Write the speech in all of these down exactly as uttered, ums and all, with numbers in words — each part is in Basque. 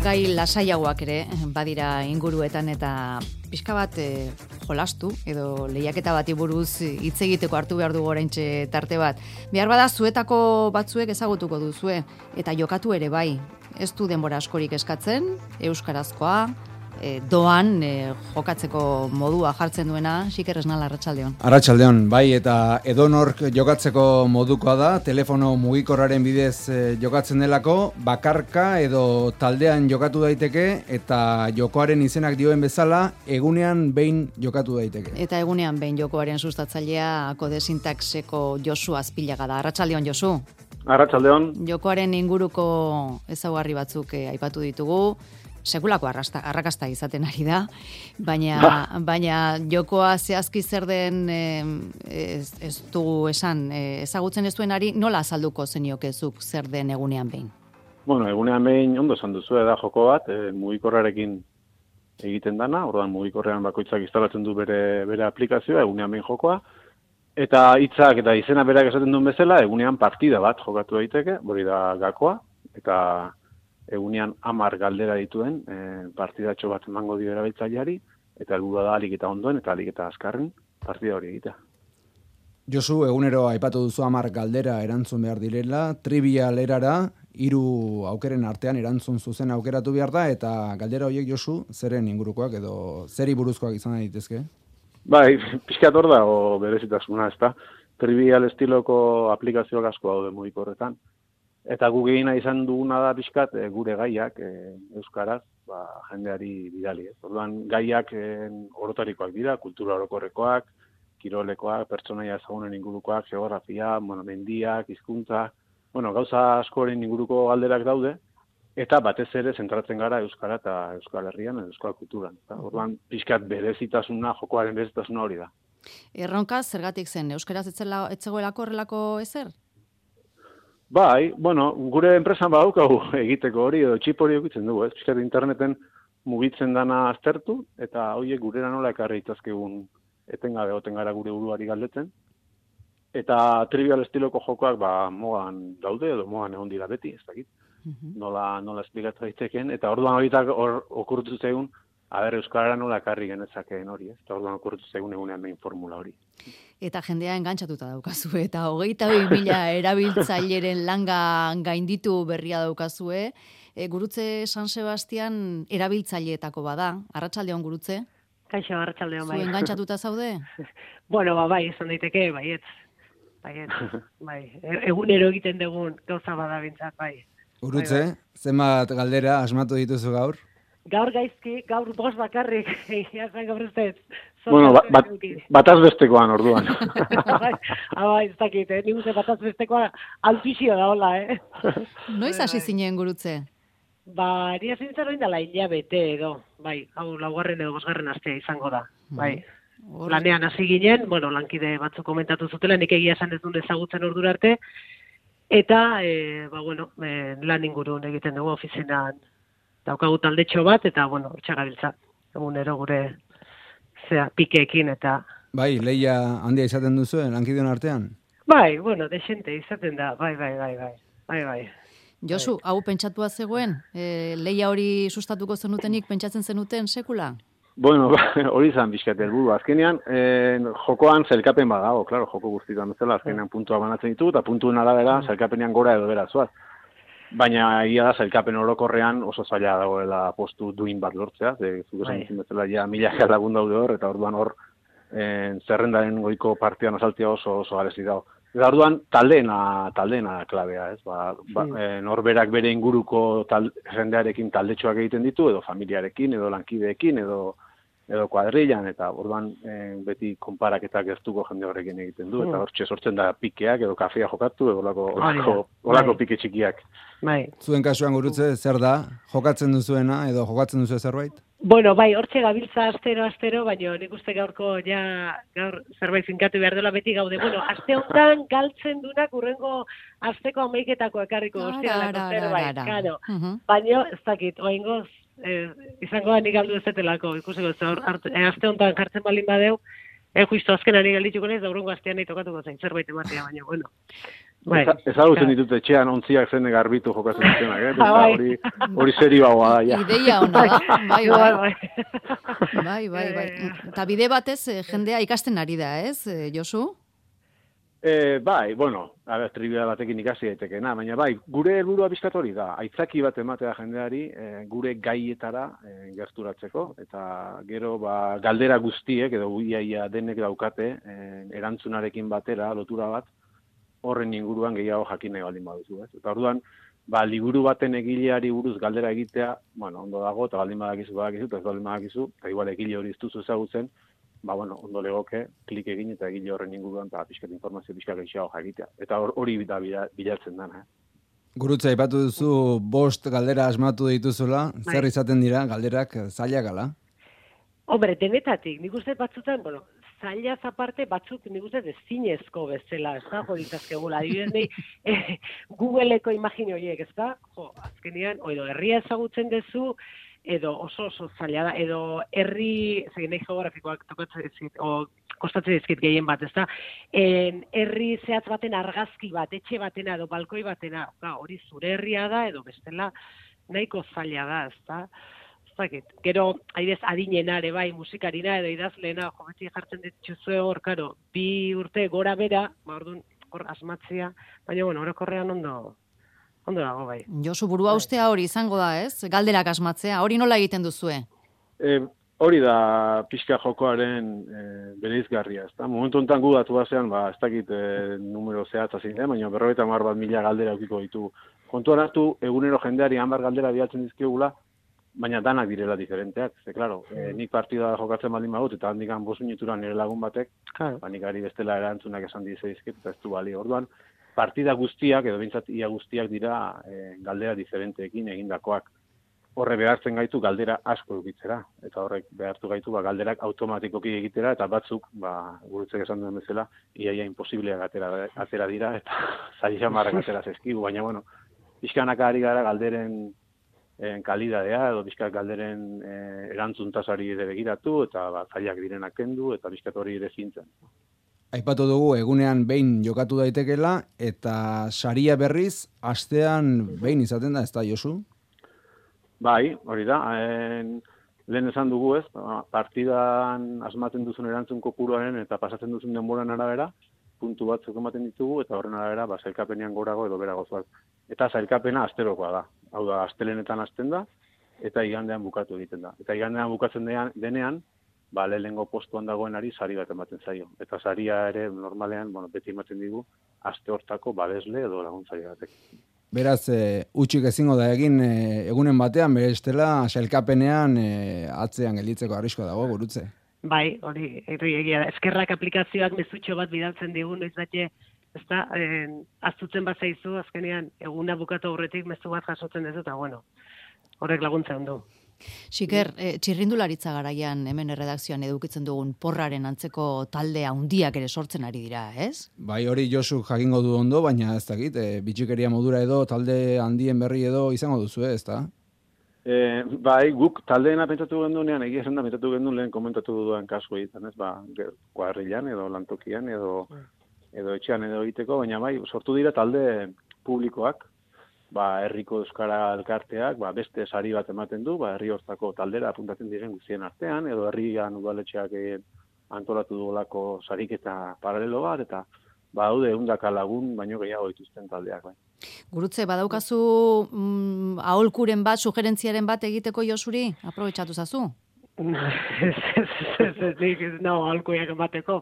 gai lasaiagoak ere badira inguruetan eta pixka bat e, jolastu edo lehiaketa bati buruz hitz egiteko hartu behar dugu oraintxe tarte bat. Behar bada zuetako batzuek ezagutuko duzue eta jokatu ere bai. Ez du denbora askorik eskatzen, euskarazkoa, e, doan e, jokatzeko modua jartzen duena, Xiker Esnal, arratsaldeon. Arratsaldeon, bai, eta edonork jokatzeko modukoa da, telefono mugikorraren bidez e, jokatzen delako, bakarka edo taldean jokatu daiteke, eta jokoaren izenak dioen bezala, egunean behin jokatu daiteke. Eta egunean behin jokoaren sustatzailea Kode Sintaxeko Josu Azpilaga da. Arratsaldeon, Josu. Arratsaldeon. Jokoaren inguruko ezaugarri batzuk eh, aipatu ditugu. Sekulako arrasta, arrakasta izaten ari da, baina, baina jokoa zehazki zer den eh, ez, ez dugu esan, eh, ezagutzen ez duenari, nola azalduko zeniokezuk zer den egunean behin? Bueno, egunean behin ondo esan duzu da joko bat, e, mugikorrarekin egiten dana, orduan mugikorrean bakoitzak instalatzen du bere, bere aplikazioa, egunean behin jokoa, eta hitzak eta izena berak esaten duen bezala, egunean partida bat jokatu daiteke, hori da gakoa, eta egunean hamar galdera dituen e, partidatxo bat emango dio erabiltzaileari, eta helburua da alik eta ondoen eta alik eta azkarren partida hori egitea. Josu, egunero aipatu duzu hamar galdera erantzun behar direla, trivial erara, hiru aukeren artean erantzun zuzen aukeratu behar da, eta galdera horiek, Josu, zeren ingurukoak edo zeri buruzkoak izan daitezke? Bai, pixkat hor da, o berezitasuna, ez da. Trivial estiloko aplikazioak asko daude mugikorretan. Eta guk egina izan duguna da pixkat e, gure gaiak e, euskaraz ba, jendeari bidali. Ez. Orduan gaiak e, orotarikoak dira, kultura orokorrekoak, kirolekoak, pertsonaia ezagunen ingurukoak, geografia, bueno, mendiak, hizkuntza, bueno, gauza askoren inguruko galderak daude, eta batez ere zentratzen gara euskara eta euskal herrian, euskal kulturan. Eta, orduan pixkat berezitasuna, jokoaren berezitasuna hori da. Erronka zergatik zen, euskaraz etzegoelako horrelako ezer? Bai, bueno, gure enpresan badaukagu egiteko hori, edo txip hori egitzen dugu, ez? Piskat interneten mugitzen dana aztertu, eta horiek gurera nola ekarri itazkegun etengabe oten gara gure buruari galdetzen. Eta trivial estiloko jokoak ba, mogan daude, edo mogan egon dira beti, ez dakit. Uh-huh. Nola, nola esplikatu daiteken, eta orduan horitak hor okurtu zegun, aber euskarara nola ekarri genezakeen hori, ez? Eta orduan okurtu zegun egunean behin formula hori. Eta jendea engantzatuta daukazue, eta hogeita bi mila erabiltzaileren langa gainditu berria daukazue. E, gurutze San Sebastian erabiltzaileetako bada. Arratsaldeon, Gurutze? Kaixo, arratsaldeon, bai. Zu engantzatuta zaude? Bueno, ba, bai, izan daiteke, baietz. Baietz, bai. Egunero egiten dugun gauza bada bintzat, bai. Gurutze, bai, bai. zenbat galdera asmatu dituzu gaur? Gaur gaizki, gaur bost bakarrik, jazen gaur ez ez. Bueno, bat, bat, bataz bestekoan orduan. Bai, ez dakit, eh? Nik uste bataz bestekoa altuzio da, hola, eh? Noiz hasi zinen, Gurutze? Ba, eri hasi nintzen hori dela hilabete edo, bai, hau laugarren edo bosgarren astea izango da, bai. Or... Lanean hasi ginen, bueno, lankide batzuk komentatu zutela, nik egia esan ez duen ezagutzen ordura arte, eta, e, ba, bueno, e, lan ingurun egiten dugu ofizinan daukagu taldetxo bat, eta, bueno, hortxagabiltza, egunero gure zea, pikeekin, eta... Bai, lehia handia izaten duzu, lankideon artean? Bai, bueno, desente izaten da, bai, bai, bai, bai, bai, bai. Josu, hau pentsatua zegoen? E, lehia hori sustatuko zenutenik pentsatzen zenuten sekula? Bueno, hori izan bizkat helburu. Azkenean, eh, jokoan zelkapen badago, claro, joko guztietan bezala, azkenean puntua banatzen ditu, eta puntuen arabera zelkapenean gora edo bera zuaz. Baina ia da, zelkapen orokorrean oso zaila dagoela postu duin bat lortzea, ze zuk esan dizun bezala ja milaka lagun daude hor, eta orduan hor en, zerrendaren goiko partian azaltzea oso oso garezi dago. Eta orduan taldeena, taldeena klabea, ez? Ba, ba, e, norberak bere inguruko tal, jendearekin taldetxoak egiten ditu, edo familiarekin, edo lankideekin, edo edo kuadrillan, eta orduan e, beti konparaketak gertuko jende horrekin egiten du, eta hortxe sortzen da pikeak, edo kafea jokatu, edo olako, olako, olako pike txikiak. Bai. Zuen kasuan, Gurutze, zer da? Jokatzen duzuena, edo jokatzen duzu zerbait? Bueno, bai, hortxe gabiltza astero, astero, baina nik uste gaurko ja, gaur zerbait finkatu behar dela beti gaude. Bueno, aste honetan galtzen dunak urrengo asteko amaiketako ekarriko guztialako zerbait, karo. Baina, ez dakit, oaingoz, Eh, izango da nik aldu ezetelako, ikusiko, eh, aste honetan jartzen balin badeu, eh, justo azkenan nik aldituko nez, da urrengo astean nahi tokatuko zain zerbait ematea, baina, bueno. Bai. Ezagutzen ditut etxean ontziak zene garbitu jokatzen dutenak, eh? Eta hori, hori serioagoa da, ja. Ideia ona da, bai, bai. Bai, bai, bai. Eta bide batez jendea ikasten ari da, ez, Josu? E, bai, bueno, ara, trivia batekin ikasi daitekeena, baina bai, gure helburua bizkat hori da, aitzaki bat ematea jendeari, e, gure gaietara e, gerturatzeko, eta gero ba, galdera guztiek, edo iaia denek daukate, e, erantzunarekin batera, lotura bat, horren inguruan gehiago jakin nahi baldin baduzu, ez? Eta orduan, ba, liburu baten egileari buruz galdera egitea, bueno, ondo dago, eta baldin badakizu, badakizu, eta ez baldin badakizu, eta igual egile hori ez duzu ezagutzen, ba, bueno, ondo legoke, klik egin eta egile horren inguruan, eta pixkat informazio pixkat gehiago jakitea. Eta hori da bilatzen dana, eh? Gurutza, aipatu duzu, bost galdera asmatu dituzula, zer izaten dira, galderak zailak ala? Hombre, denetatik, nik uste batzutan, bueno, zailaz aparte batzuk nik uste dezinezko bezala, ez da, jo ditazkegula, adibidez nahi, eh, Googleeko imagine horiek, ez da, jo, azkenean, edo herria ezagutzen dezu, edo oso oso zaila da, edo herri, zegin nahi geografikoak tokatzen dizkit, o kostatzen dizkit gehien bat, ez da, en, herri zehatz baten argazki bat, etxe batena, edo balkoi batena, ga, hori zure herria da, edo bestela nahiko zaila da, ez da, gero, adibidez, adinenare, bai, musikarina edo idazleena, jo, beti jartzen dituzue hor, karo, bi urte gora bera, ba, orduan, hor asmatzea, baina, bueno, orokorrean ondo, ondo dago, bai. Josu, burua ustea hori izango da, ez? Galderak asmatzea, hori nola egiten duzue? E, hori da pixka jokoaren e, bereizgarria, ez da? Momentu honetan gu datu basean, ba, ez dakit e, numero zehatza zein da, baina berrogeita hamar bat mila galdera eukiko ditu. Kontuan hartu, egunero jendeari hamar galdera bidaltzen dizkigula, baina danak direla diferenteak, ze, klaro, e, nik partida jokatzen baldin badut, eta handikan bost minutura nire lagun batek, claro. Ba, nik ari bestela erantzunak esan dizeizket, eta ez du bali. Orduan, partida guztiak, edo bintzat ia guztiak dira e, galdera diferenteekin egindakoak. Horre behartzen gaitu galdera asko edukitzera, eta horrek behartu gaitu ba, galderak automatikoki egitera, eta batzuk, ba, gurutzek esan duen bezala, iaia imposibleak atera, atera dira, eta zaila jamarrak atera zezkigu, baina, bueno, pixkanaka ari gara galderen en kalidadea, edo bizkat galderen e, erantzun tasari ere begiratu, eta ba, zailak direnak kendu, eta bizkat hori ere zintzen. Aipatu dugu, egunean behin jokatu daitekela, eta saria berriz, astean behin izaten da, ez da, Josu? Bai, hori da. En, lehen esan dugu ez, partidan asmatzen duzun erantzun kopuruaren eta pasatzen duzun denboran arabera, puntu batzuk ematen ditugu, eta horren arabera, ba, zailkapenean gorago edo berago zoaz. Eta zailkapena asterokoa da. Hau da, astelenetan hasten da, eta igandean bukatu egiten da. Eta igandean bukatzen denean, ba, lehenengo postuan dagoenari sari bat ematen zaio. Eta saria ere, normalean, bueno, beti ematen digu, aste hortako babesle edo laguntzaile batek. Beraz, e, utxik ezingo da egin e, egunen batean, bere estela, sailkapenean e, atzean gelditzeko arrisko dago, gurutze. Bai, hori, egia da. Eskerrak aplikazioak mezutxo bat bidaltzen digu, noiz bate, ez da, eh, aztutzen bat zaizu, azkenean, eguna bukatu aurretik mezu bat jasotzen dezu, eta bueno, horrek laguntzen du. Xiker, eh, txirrindularitza garaian hemen erredakzioan edukitzen dugun porraren antzeko talde handiak ere sortzen ari dira, ez? Bai, hori Josu jakingo du ondo, baina ez dakit, e, bitxikeria modura edo, talde handien berri edo izango duzu, ez da? E, bai, guk taldeena pentsatu gendunean, egia esan da pentsatu gendun lehen komentatu dudan kasu egiten, ez? Ba, kuadrilan edo lantokian edo, edo etxean edo egiteko, baina bai, sortu dira talde publikoak, ba, herriko euskara elkarteak, ba, beste sari bat ematen du, ba, herri hortako taldera apuntatzen diren guztien artean, edo herrian udaletxeak antolatu duelako sariketa paralelo bat, eta ba, haude ehundaka lagun, baino gehiago dituzten taldeak, bai. Gurutze, badaukazu mm, aholkuren bat, sugerentziaren bat egiteko Josuri? Aprobetxatu zazu? Ez, ez, ez, ez, no, aholkuiak emateko.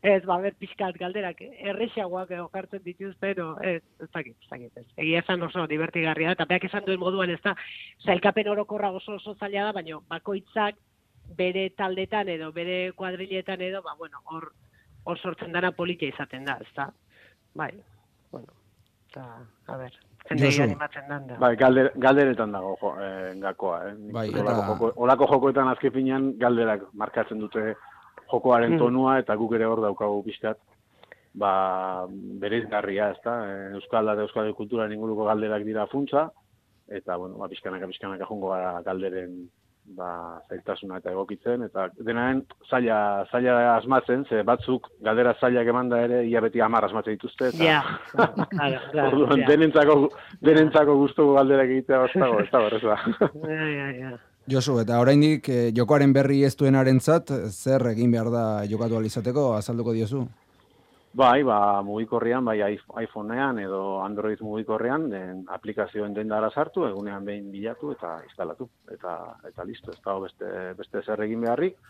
Ez, ba, ber, pixkat galderak, errexagoak jartzen dituzte, no, ez, ez dakit, ez dakit, ez. Egia esan oso divertigarria da, eta beak esan duen moduan ez da, zailkapen orokorra oso oso zaila da, baina bakoitzak bere taldetan edo, bere kuadriletan edo, ba, bueno, hor, hor sortzen dana politia izaten da, ez da. Bai, bueno, eta, a ber, zendegian ematen dan da. Bai, galder, galderetan dago jo, eh, gakoa, eh. Bai, olako, eta... joko, olako jokoetan azkepinan galderak markatzen dute jokoaren tonua, eta guk ere hor daukagu pixkat, ba, bereizgarria, ez da, Euskal da Euskal kulturaren inguruko galderak dira funtsa, eta, bueno, ba, pixkanaka, pixkanaka jongo gara galderen ba, zailtasuna eta egokitzen, eta denaren zaila, zaila asmatzen, ze batzuk galdera zailak emanda ere, ia beti hamar asmatzen dituzte, eta ja, claro, claro, orduan, denentzako, denentzako gustuko galderak egitea ez dago, ez dago, ez da. Ja, ja, ja. Josu, eta oraindik eh, jokoaren berri ez duenarentzat zer egin behar da jokatu ahal izateko, azalduko diozu? Bai, ba, mugikorrean, bai iPhoneean edo Android mugikorrean, den aplikazioen dendara sartu, egunean behin bilatu eta instalatu. Eta eta listo, ez dago beste, beste zer egin beharrik,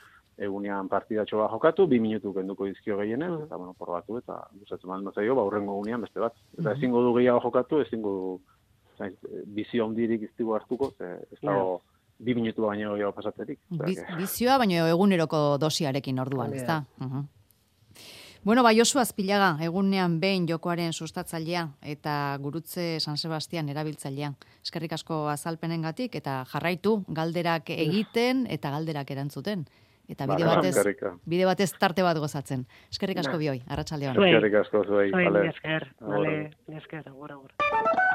egunean partidatxo bat jokatu, bi minutu kenduko dizkio gehienez, eta bueno, probatu eta gustatzen baldin bazaio, ba, hurrengo egunean beste bat. Eta ezingo du gehiago jokatu, ezingo du bizio handirik iztigo hartuko, ze, ez dago bi minutu baino gehiago pasatzerik. Bizioa, baino eguneroko dosiarekin orduan, ez da? Uh-huh. Bueno, ba, Josu Azpilaga, egunean behin jokoaren sustatzailea eta gurutze San Sebastian erabiltzailea. Eskerrik asko azalpenengatik eta jarraitu galderak egiten eta galderak erantzuten. Eta bide batez, bide batez tarte bat gozatzen. Eskerrik asko bioi, arratsaldean. Eskerrik asko zuei. Zuei, esker, vale, esker, agora, agora.